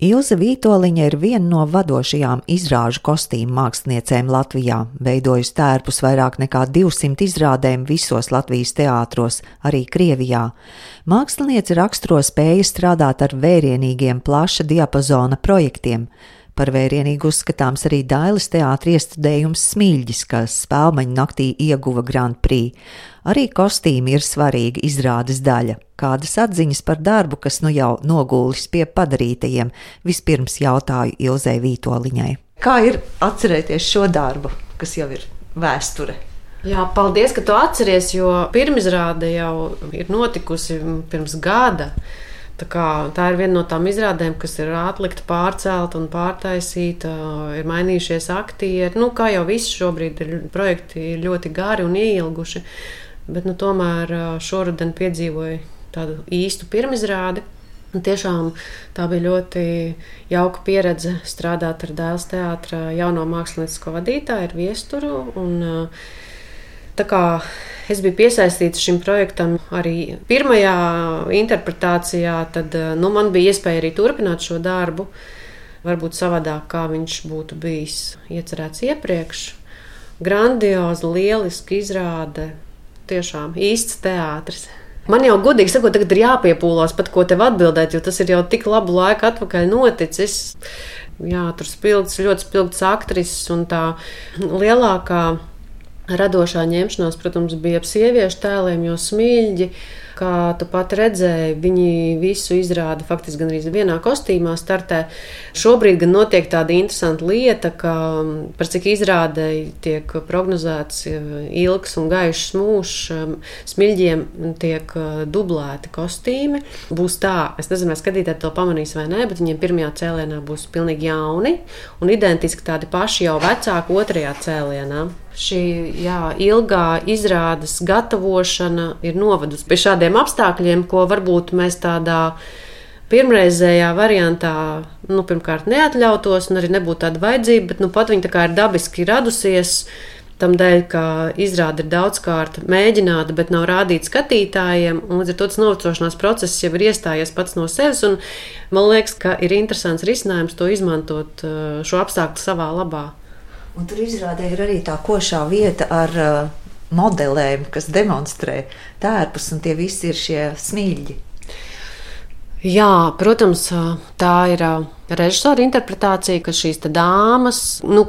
Ilze Vītoliņa ir viena no vadošajām izrāžu kostīmu māksliniecēm Latvijā, veidojusi tērpus vairāk nekā 200 izrādēm visos Latvijas teātros, arī Krievijā. Māksliniece raksturo spēju strādāt ar vērienīgiem plaša diapazona projektiem. Par vērienīgu uzskatāms arī Dailes teātra iestudējums Smilģis, kas Spēlmeņu naktī ieguva Grand Prix. Arī kostīmi ir svarīga izrādes daļa. Kādas atziņas par darbu, kas nu jau nogūlis pie padarītajiem, vispirms jautāju Ilzei Vītoliņai. Kā ir atcerēties šo darbu, kas jau ir vēsture? Jā, paldies, ka tu atceries, jo pirmizrāde jau ir notikusi pirms gada. Tā ir viena no tām izrādēm, kas ir atlikta, pārcelta un pārtaisīta, ir mainījušies aktieri. Kā jau viss šobrīd projekti ir ļoti gari un ieilguši, bet tomēr šoruden piedzīvoju tādu īstu pirmizrādi. Tiešām tā bija ļoti jauka pieredze strādāt ar Dailes teātra jauno māksliniecisko vadītāju, ar Viesturu. Tā kā es biju piesaistīta šim projektam arī pirmajā interpretācijā, tad man bija iespēja arī turpināt šo darbu, varbūt savādāk, kā viņš būtu bijis iecerēts iepriekš. Grandioza, lieliska izrāde, tiešām īsts teātris. Man jau godīgi sakot, tagad ir jāpiepūlās pat ko tev atbildēt, jo tas ir jau tik labu laiku atpakaļ noticis. Jā, tur ļoti spilgts aktrises un tā lielākā radošā ņemšanās, protams, bija ap sieviešu tēliem, jo Smilģi, kā tu pat redzēji, viņi visu izrāda faktiski gan arī vienā kostīmā startē. Šobrīd gan notiek tāda interesanta lieta, ka par cik izrādei tiek prognozēts ilgs un gaišs mūžs, Smilģiem tiek dublēti kostīmi. Būs tā, es nezinu, vai skatītāji to pamanīs vai nē, bet viņiem pirmajā cēlienā būs pilnīgi jauni un identiski tādi paši jau vecāki otrajā cēlienā. Šī ilgā izrādes gatavošana ir novedusi pie šādiem apstākļiem, ko varbūt mēs tādā pirmreizējā variantā pirmkārt neatļautos un arī nebūtu tāda vajadzība, bet pat viņa tā kā ir dabiski radusies tam dēļ, ka izrāde ir daudzkārt mēģināta, bet nav rādīta skatītājiem, un līdz ar to tas novecošanās process jau ir iestājies pats no sevis, un man liekas, ka ir interesants risinājums to izmantot šo apstākļu savā labā. Un tur izrādē ir arī tā košā vieta ar modelēm, kas demonstrē tērpus, un tie visi ir šie smilģi. Jā, protams, tā ir režisora interpretācija, ka šīs dāmas,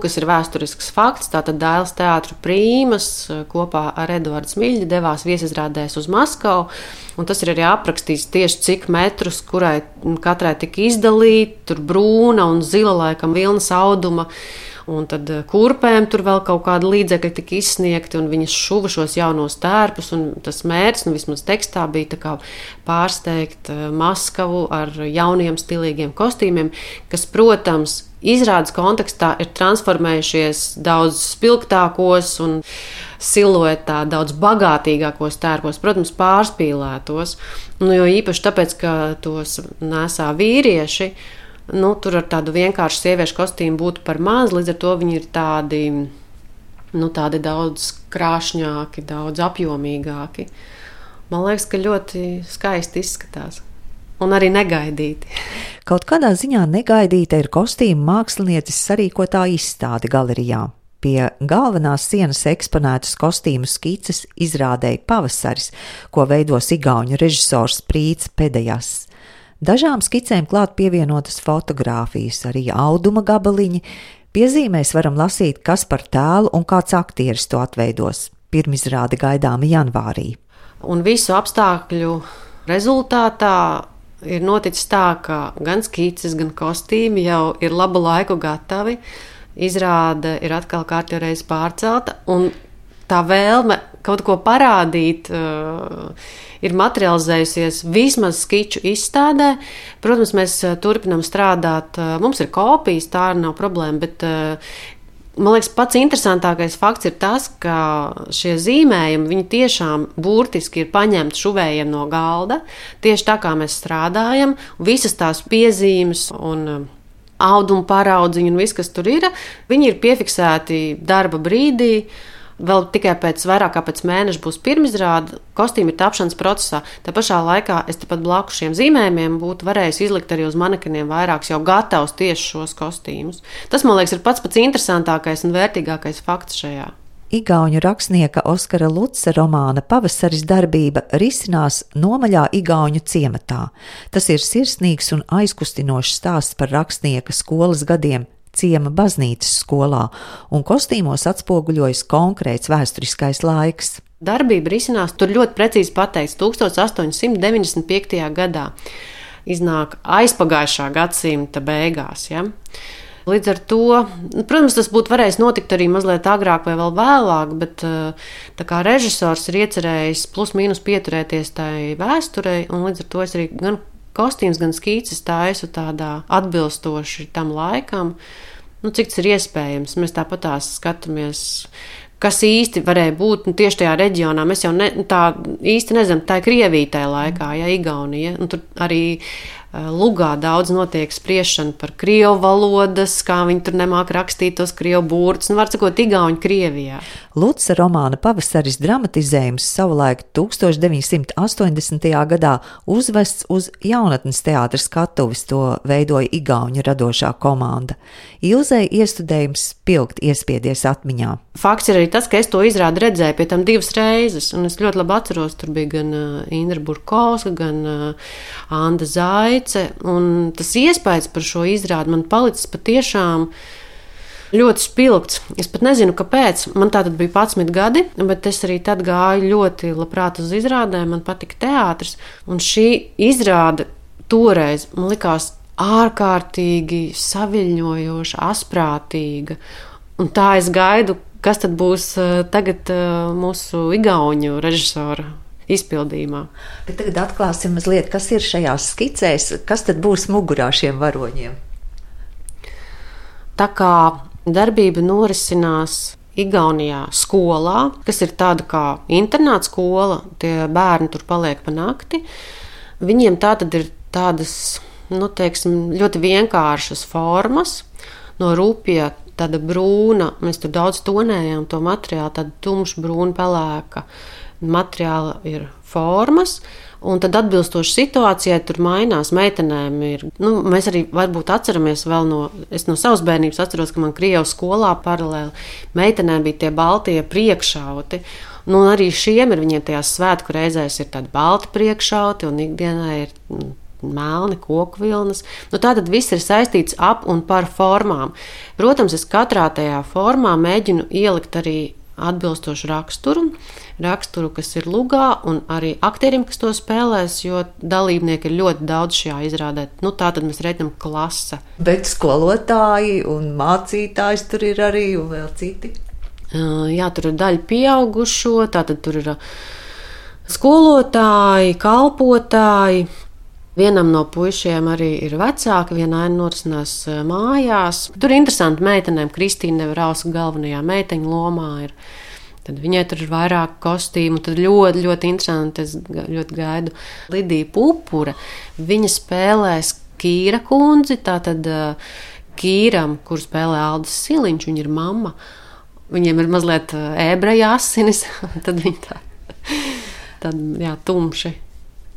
kas ir vēsturisks fakts, tātad Dailes teātra prīmas kopā ar Eduardu Smilģi devās viesizrādēs uz Maskavu, un tas ir arī aprakstīts tieši cik metrus, kurai katrai tika izdalīti, tur brūna un zila laikam vilnas auduma. Un tad kurpēm tur vēl kaut kāda līdzekļa tika izsniegti, un viņas šuva šos jaunos tērpus, un tas mērķis, vismaz tekstā, bija tā kā pārsteigt Maskavu ar jauniem stilīgiem kostīmiem, kas, protams, izrādes kontekstā ir transformējušies daudz spilgtākos un siluetā daudz bagātīgākos tērpos, protams, pārspīlētos, jo īpaši tāpēc, ka tos nesā vīrieši, tur ar tādu vienkāršu sieviešu kostīmu būtu par maz, līdz ar to viņi ir tādi daudz krāšņāki, daudz apjomīgāki. Man liekas, ka ļoti skaisti izskatās un arī negaidīti. Kaut kādā ziņā negaidīta ir kostīmu mākslinieces sarīkotā izstāde galerijā. Pie galvenās sienas eksponētas kostīmu skices izrādēja Pavasaris, ko veidos igauņu režisors Prīts Pedejas. Dažām skicēm klāt pievienotas fotogrāfijas, arī auduma gabaliņi. Piezīmēs varam lasīt, kas par tēlu un kāds aktieris to atveidos. Pirmizrāde gaidāma janvārī. Un visu apstākļu rezultātā ir noticis tā, ka gan skices, gan kostīmi jau ir labu laiku gatavi. Izrāde ir atkal kārtjoreiz pārcelta, un tā vēlme kaut ko parādīt ir materializējusies vismaz skiču izstādē. Protams, mēs turpinām strādāt, mums ir kopijas, tā arī nav problēma, bet man liekas, pats interesantākais fakts ir tas, ka šie zīmējumi, viņi tiešām burtiski ir paņemti šuvējiem no galda, tieši tā kā mēs strādājam, visas tās piezīmes un audumu paraudziņu un viss, kas tur ir, viņi ir piefiksēti darba brīdī. Vēl tikai vairāk kā pēc mēneša būs pirmizrāde, kostīmi ir tapšanas procesā. Tā pašā laikā es tepat blakus šiem zīmējumiem būtu varējis izlikt arī uz manekeniem vairākus jau gatavus tieši šos kostīmus. Tas, man liekas, ir pats interesantākais un vērtīgākais fakts šajā. Igauņu rakstnieka Oskara Luca romāna Pavasaris darbība risinās Nomaļā igauņu ciematā. Tas ir sirsnīgs un aizkustinošs stāsts par rakstnieka skolas gadiem ciema baznīcas skolā, un kostīmos atspoguļojas konkrēts vēsturiskais laiks. Darbība risinās, tur ļoti precīzi pateikts, 1895. gadā. Iznāk aizpagājušā gadsimta beigās, ja? Līdz ar to, protams, tas būtu varējis notikt arī mazliet agrāk vai vēl vēlāk, bet tā kā režisors ir iecerējis plus mīnus pieturēties tai vēsturei, un līdz ar to es arī gan kostīms, gan skīces taisu tādā atbilstoši tam laikam, cik tas ir iespējams. Mēs tāpatās skatāmies, kas īsti varēja būt tieši tajā reģionā. Mēs jau tā īsti nezinām, tā ir Krievija tajā laikā, ja Igaunija, un tur arī Lugā daudz notiek spriešana par krievu valodas, kā viņi tur nemāk rakstīt tos krievu burtus, var sakot, igauņu Krievijā. Luca romāna Pavasaris dramatizējums savulaik 1980. gadā uzvests uz jaunatnes teātra skatuves, to veidoja igauņu radošā komanda. Ilzei iestudējums spilgt iespiedies atmiņā. Fakts ir arī tas, ka es to izrādi redzēju pie tam 2 reizes, un es ļoti labi atceros, tur bija gan Indra Burkovska, gan Anda Zaice, un tas iespējas par šo izrādi man palicis patiešām ļoti spilgts. Es pat nezinu, kāpēc. Man tātad bija 11 gadi, bet es arī tad gāju ļoti labprāt uz izrādēm, man patika teātris, un šī izrāde toreiz man likās ārkārtīgi saviļņojoša, asprātīga, un tā es gaidu, kas tad būs tagad mūsu igauņu režisora izpildījumā. Bet tagad atklāsim mazliet, kas ir šajās skicēs, kas tad būs mugurā šiem varoņiem. Tā kā darbība norisinās Igaunijā skolā, kas ir tāda kā internāta skola, tie bērni tur paliek pa nakti, viņiem tātad ir tādas, teiksim, ļoti vienkāršas formas, no rupja tāda brūna, mēs tur daudz tonējām to materiālu, tāda tumša brūna pelēka materiāla ir formas, un tad atbilstoši situācijai tur mainās. Meitenēm ir, mēs arī varbūt atceramies vēl es no savas bērnības atceros, ka man Krievu skolā paralēli meitenēm bija tie baltie priekšauti, arī šiem ir viņiem tajās svētku reizēs ir tādi balti priekšauti, un ikdienā ir melni koku vilnas. Tātad viss ir saistīts ap un par formām. Protams, es katrā tajā formā mēģinu ielikt arī atbilstošu raksturu, kas ir lugā, un arī aktierim, kas to spēlēs, jo dalībnieki ir ļoti daudz šajā izrādē. Tātad mēs redzam klase. Bet skolotāji un mācītājs tur ir arī un vēl citi? Jā, tur ir daļa pieaugušo, tātad tur ir skolotāji, kalpotāji. Vienam no puišiem arī ir vecāki, viena aina norisinās mājās. Tur ir interesanti meitenēm, Kristīna Nevrauska galvenajā meiteņu lomā ir. Tad viņai tur ir vairāk kostīmu, tad ļoti, ļoti interesanti, es ļoti gaidu Lidiju Pupura. Viņa spēlēs Kīra kundzi, tātad Kīram, kur spēlē Aldis Siliņš, viņa ir mamma. Viņiem ir mazliet ebreja asinis, tad viņi tā tumši.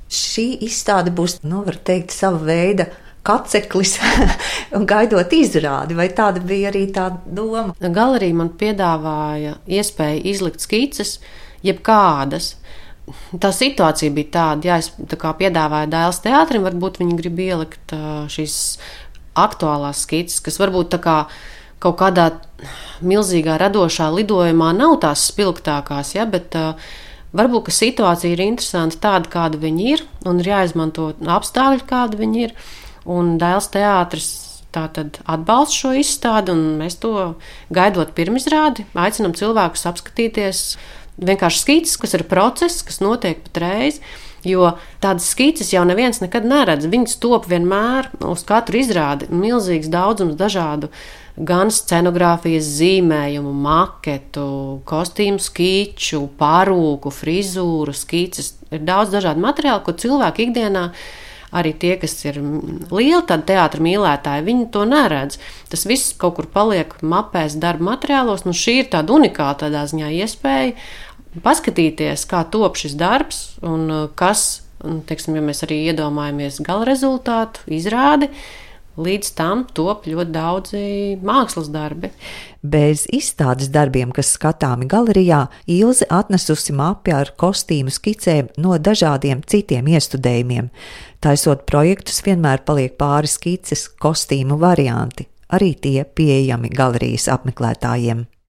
Šī izstāde būs, var teikt, sava veida kaceklis un gaidot izrādi, vai tāda bija arī tā doma? Galerija man piedāvāja iespēju izlikt skices, jebkādas. Tā situācija bija tāda, es piedāvāju Dailes teātrim, varbūt viņi grib ielikt šīs aktuālās skices, kas varbūt kaut kādā milzīgā radošā lidojumā nav tās spilgtākās, bet varbūt, ka situācija ir interesanta tāda, kāda viņi ir, un ir jāizmanto apstākļi, kāda viņi ir. Un Dailes teātris tātad atbalsta šo izstādi, un mēs to gaidot pirmizrādi, aicinam cilvēkus apskatīties vienkārši skices, kas ir process, kas notiek patreiz, jo tādas skices jau neviens nekad neredz. Viņas top vienmēr uz katru izrādi milzīgs daudzums dažādu gan scenogrāfijas zīmējumu, maketu, kostīmu skiču, parūku, frizūru, skices. Ir daudz dažādu materiālu, ko cilvēki ikdienā arī tie, kas ir lieli tādi teātra mīlētāji, viņi to neredz. Tas viss kaut kur paliek mapēs, darba materiālos. Šī ir tāda unikāla tādā ziņā iespēja paskatīties, kā top šis darbs un kas, teiksim, ja mēs arī iedomājamies gala rezultātu, izrādi, līdz tam top ļoti daudzi mākslas darbi. Bez izstādes darbiem, kas skatāmi galerijā, Ilze atnesusi mapi ar kostīmu skicēm no dažādiem citiem iestudējumiem. Taisot projektus, vienmēr paliek pāris skices, kostīmu varianti, arī tie pieejami galerijas apmeklētājiem.